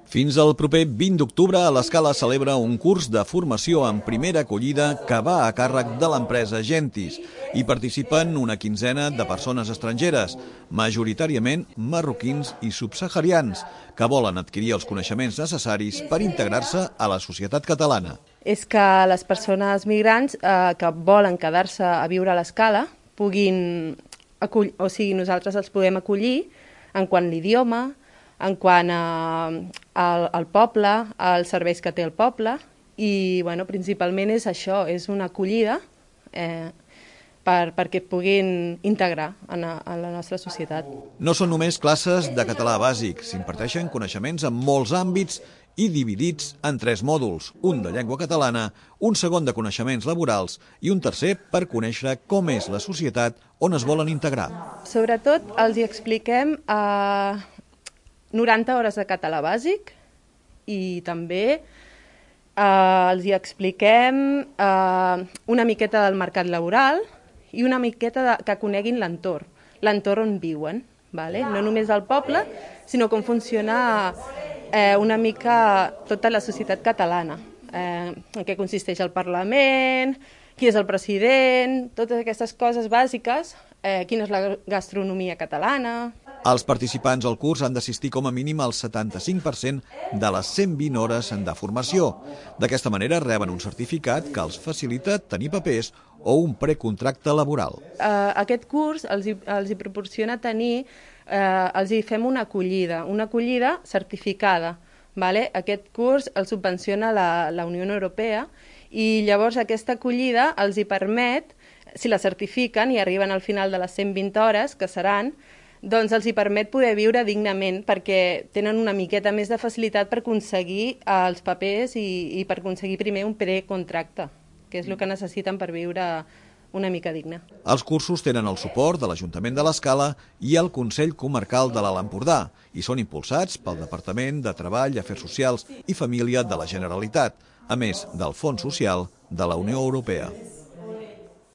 Fins al proper 20 d'octubre, l'Escala celebra un curs de formació en primera acollida que va a càrrec de l'empresa Gentis. Hi participen una quinzena de persones estrangeres, majoritàriament marroquins i subsaharians, que volen adquirir els coneixements necessaris per integrar-se a la societat catalana. És que les persones migrants que volen quedar-se a viure a l'Escala puguin nosaltres els podem acollir en quant a l'idioma, en quant al poble, als serveis que té el poble, i principalment és això, és una acollida perquè puguin integrar en la nostra societat. No són només classes de català bàsic, s'imparteixen coneixements en molts àmbits i dividits en 3 mòduls, un de llengua catalana, un segon de coneixements laborals i un tercer per conèixer com és la societat on es volen integrar. Sobretot els hi expliquem 90 hores de català bàsic i també els hi expliquem una miqueta del mercat laboral i una miqueta que coneguin l'entorn on viuen. No només el poble, sinó com funciona una mica tota la societat catalana, en què consisteix el Parlament, qui és el president, totes aquestes coses bàsiques, quina és la gastronomia catalana. Els participants al curs han d'assistir com a mínim al 75% de les 120 hores de formació. D'aquesta manera reben un certificat que els facilita tenir papers o un precontracte laboral. Aquest curs els hi proporciona tenir, els hi fem una acollida certificada. Aquest curs el subvenciona la Unió Europea i llavors aquesta acollida els hi permet, si la certifiquen i arriben al final de les 120 hores, que seran, doncs els hi permet poder viure dignament perquè tenen una miqueta més de facilitat per aconseguir els papers i per aconseguir primer un precontracte, que és el que necessiten per viure una mica digne. Els cursos tenen el suport de l'Ajuntament de l'Escala i el Consell Comarcal de l'Alt Empordà i són impulsats pel Departament de Treball, Afers Socials i Família de la Generalitat, a més del Fons Social de la Unió Europea.